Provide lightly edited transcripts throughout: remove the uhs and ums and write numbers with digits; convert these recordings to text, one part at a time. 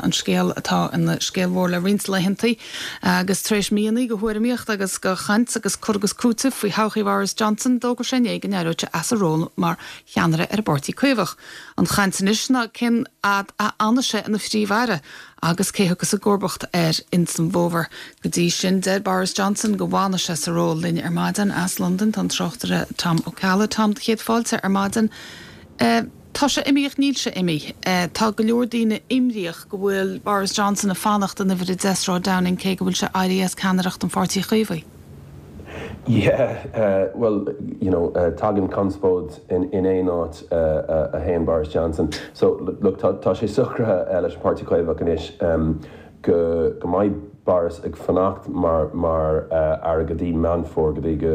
An scéal atá ina scéal mhór le roinnt laethantaí agus tar éis míonna de thuairimíocht agus de chaint agus cur agus cúiteamh faoi thodhchaí Bhoris Johnson, d'fhógair sé inné go n-éireodh sé as a ról mar cheannaire ar an bPáirtí Caomhach. An chaint anois ná cén fhad a fhanfaidh sé ina Phríomh-Aire agus cé thiocfas i gcomharbacht air ins an bhfómhar. Go dtí sin, deir Boris Johnson go bhfanfaidh sé sa ról. Linn ar maidin as Londain tá an tráchtaire Tom Ó Ceallaigh. Tom, do chéad fáilte ar maidin. Tá sé imithe ach níl sé imithe. Tá go leor daoine imníoch go bhfuil Boris Johnson ag fanacht in uimhir 10 Sráid Downing cé go bhfuil sé éirithe as ceannaireacht an Pháirtí Chaomhaigh. Yeah, bhuel, you know, tagann conspóid in aon áit a théann Boris Johnson. So, look, tá sé socraithe leis an Páirtí Caomhach anois go go mbeidh Boris ag fanacht mar mar aire go dtí Meán Fómhair, go dtí go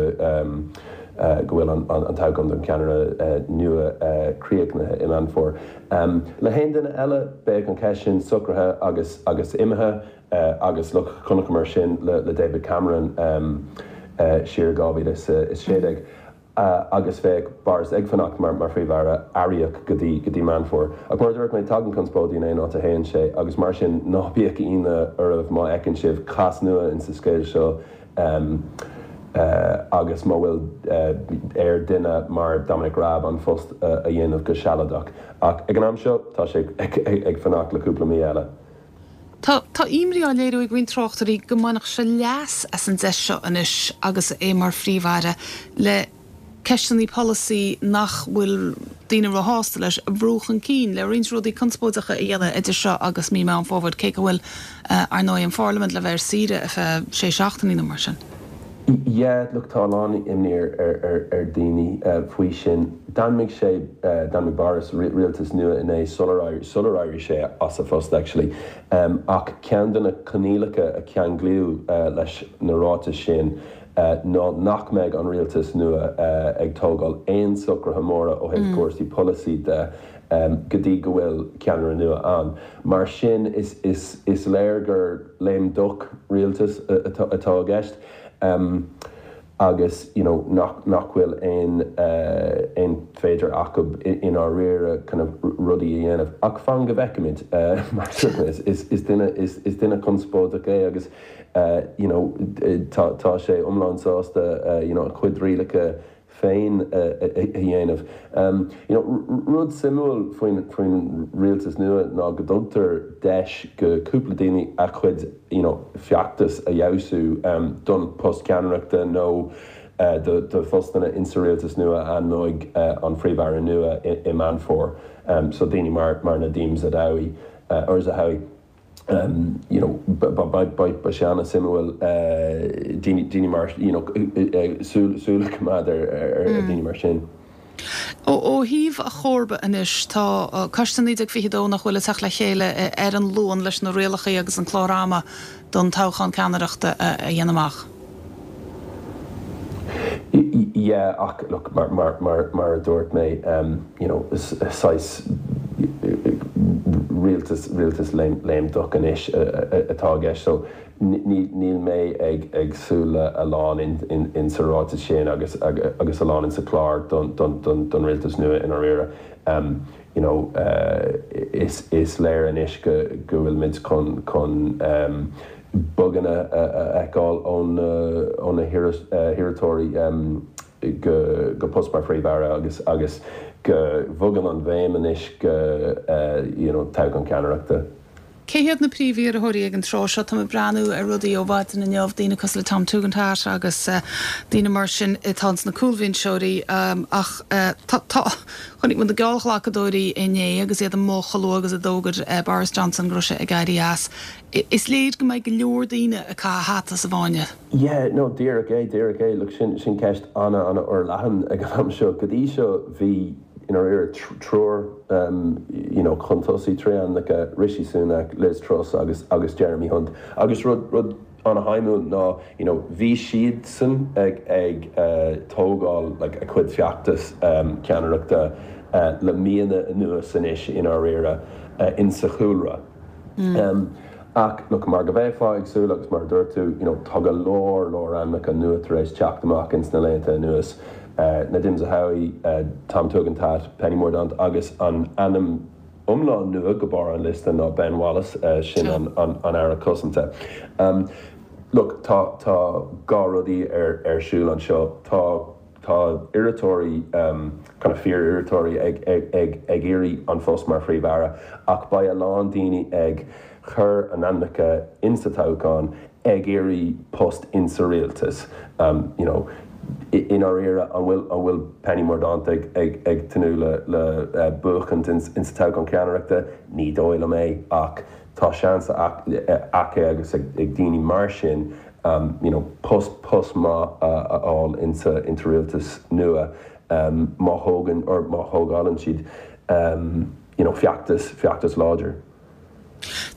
go bhfuil an an toghchán don cheannaire nua críochnaithe i Meán Fómhair. Le haon duine eile, bheadh an cheist sin socraithe agus agus imithe agus look, chonaiceamar sin le le David Cameron siar i 2016. agus bheadh Boris ag fanacht mar Phríomh-Aire aireach go dtí go dtí Meán Fómhair. Ach mar a dúirt mé, tagann conspóidí in aon áit a théann sé agus mar sin ná bíodh ionadh oraibh má fheiceann sibh cás nua insa scéal seo agus má bhfuil ar duine mar Dominic Raab an phost a dhéanamh go sealadach. Ach ag an am seo tá sé ag fanacht le cúpla mí eile. Tá tá imní á léiriú ag roinnt tráchtairí go mbainfeadh sé leas as an deis seo anois agus é mar Phríomh-Aire le ceisteanna polasaí nach bhfuil daoine róshásta leis a bhrú chun cinn, le roinnt rudaí conspóideacha a dhéanamh idir seo agus mí Meán Fómhair, cé go bhfuil, ar ndóigh, an Pharlaimint le bheith ar saoire ar feadh sé seachtainí nó mar sin. Yeah, look, tá a lán imní ar daoine faoi sin. D'ainmnigh sé, d'ainmnigh Boris rialtas nua inné sular sular éirigh sé as a phost actually. Ach ceann de na coinníollacha a ceanglaíodh leis na ráitis sin ná nach mbeidh an rialtas nua ag tógáil aon socruithe móra ó thaobh cúrsaí polasaí de go dtí go bhfuil ceannaire nua ann. Mar sin is is is léir gur lame duck rialtas atá i gceist agus you know nach nach bhfuil aon aon féidir acu i ndáiríre kind of rudaí a dhéanamh. Ach fan go bhfeicfimid mar is is duine is is duine conspóideach é agus you know tá tá sé iomlán sásta you know a chuid rialacha féin a dhéanamh. You know, rud suimiúil faoin faoin rialtas nua ná go dtugtar deis go cúpla daoine a chuid you know feachtas a fheabhsú don post ceannaireachta nó do do phostanna insa rialtas nua a ainmneoidh an Phríomh-Aire nua i i Meán Fómhair. So daoine mar mar Nadhim Zadawi or Zahawi. you know beidh sé an-suimiúil daoine mar you know súil súil a choimeád ar ar daoine mar sin. Ó thaobh a chomharba anois, tá Coiste 1922 nach bhfuil ag teacht le chéile ar an Luan leis na rialacha agus an clár ama don toghchán ceannaireachta a dhéanamh amach. Yeah, ach look, mar, mar, mar, mar a dúirt mé, you know, saghas rialtas, rialtas lame, lame duck anois atá i gceist. So níl, níl mé ag, ag súil le a lán in, in, in sa ráiteas sin agus, agus a lán in sa chlár don, don, don, don rialtas nua i ndáiríre. You know, is, is léir anois go, go bhfuilimid chun, chun, boganna a fheiceáil ó na hiarrthóirí go post mar Phríomh-Aire agus agus go bhogann an bhéim anois go you know toghchán ceannaireachta. Cé hiad na príomh-iarrthóirí ag an tráth seo? Táim ag breathnú ar rudaí ó mhaidin inniu, daoine cosúil le Tom Tugendhat agus daoine mar sin atá ins na cúlbhinseoirí ach tá tá chonaic muid na geallghlacadóirí inné agus iad amuigh chomh luath agus a d'fhógair Boris Johnson go raibh sé ag éirí as. Is léir go mbeidh go leor daoine ag caitheamh hata sa bhfáinne. Yeah, no, díreach é, díreach é. Look, sin, sin ceist ana-ana-fhorleathan ag an am seo. Go dtí seo bhí, i ndáiríre, triúr, you know, chun tosaigh, trí ainmneacha, Rishi Sunak, Liz Truss agus, agus Jeremy Hunt. Agus rud, rud ana-shuimiúil ná, you know, bhí siadsan ag, ag tógáil, like, a cuid feachtas ceannaireachta le míonna anuas anois, i ndáiríre, insa chúlra. Ach, look, mar go mbeifeá ag súil agus mar a dúirt tú, you know, tá go leor, leor ainmneacha nua tar éis teacht amach ins na laethanta anuas, Nadhim Zahawi, Tom Tugendhat, Penny Mordaunt agus an ainm. iomlán nua go barr an liosta ná Ben Wallace, sin an Aire Cosanta. Look, tá tá dhá rudaí ar ar siúl anseo. Tá tá iarrthóirí, kind of fíor-iarrthóirí ag ag ag ag iarraidh an phost mar Phríomh-Aire ach beidh a lán daoine ag cur a n-ainmneacha insa toghchán ag iarraidh post insa rialtas. You know, i ndáiríre, an bhfuil an bhfuil Penny Mordaunt ag ag ag tnúth le le buachaint insa toghchán ceannaireachta? Ní dóigh liom é ach tá seans aici agus ag daoine mar sin you know post post maith a fháil insa insa rialtas nua má thógann or má thógálann siad you know feachtas feachtas láidir.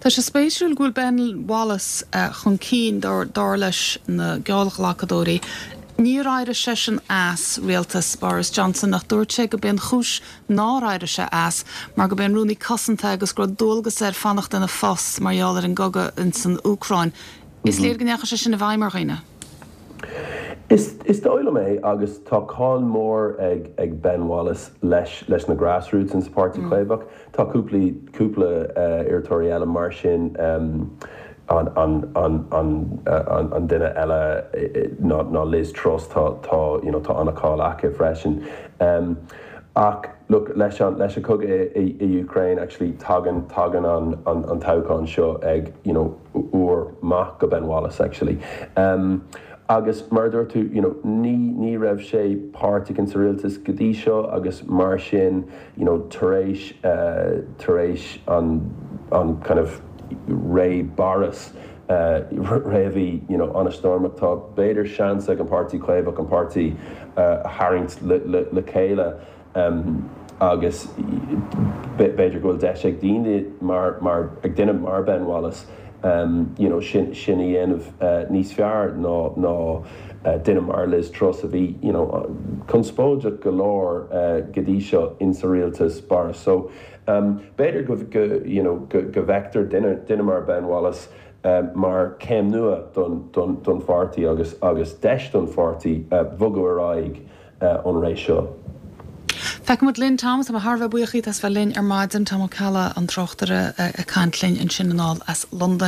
Tá sé spéisiúil go bhfuil Ben Wallace chun cinn dar leis na geallghlacadóirí. Níor éirigh seisean as rialtas Boris Johnson ach dúirt sé go b'é an chúis nár éirigh sé as mar go b'é an Rúnaí Cosanta agus go raibh dualgas air fanacht ina phost mar gheall ar an gcogadh insan Úcráin. Is léir go ndeachaigh sé sin i bhfeidhm ar dhaoine. Is dóigh liom é agus tá cáil mhór ag Ben Wallace leis leis na grassroots insa Páirtí Caomhach. Tá cúpla cúpla iarrthóirí eile mar sin, an an an an an duine eile ná ná Liz Truss, tá tá you know tá an-cháil aici freisin. Ach look leis an leis an cogadh i i Ukraine actually tagann tagann an an an toghchán seo ag you know uair maith go Ben Wallace actually. Agus mar a dúirt tú you know ní ní raibh sé páirteach insa rialtas go dtí seo agus mar sin you know tar éis tar éis an an kind of ré Boris ré a bhí you know an-stoirmeach tá b'fhéidir seans ag an Páirtí Caomhach an páirtí a tharraingt le le le chéile agus b'fhéidir go bhfuil deis ag daoine mar mar ag duine mar Ben Wallace you know sin sin a dhéanamh níos fearr ná ná duine mar Liz Truss a bhí you know conspóideach go leor go dtí seo insa rialtas Boris. So b'fhéidir go go you know go go bhfeictear duine duine mar Ben Wallace mar céim nua don don don pháirtí agus agus deis don pháirtí bhogadh ar aghaidh ón ré seo. Feicfidh muid linn, Tom. Tá mé thar a bheith buíoch díot as bheith linn ar maidin. Tom Ó Ceallaigh, an tráchtaire, ag caint linn ansin anall as Londain.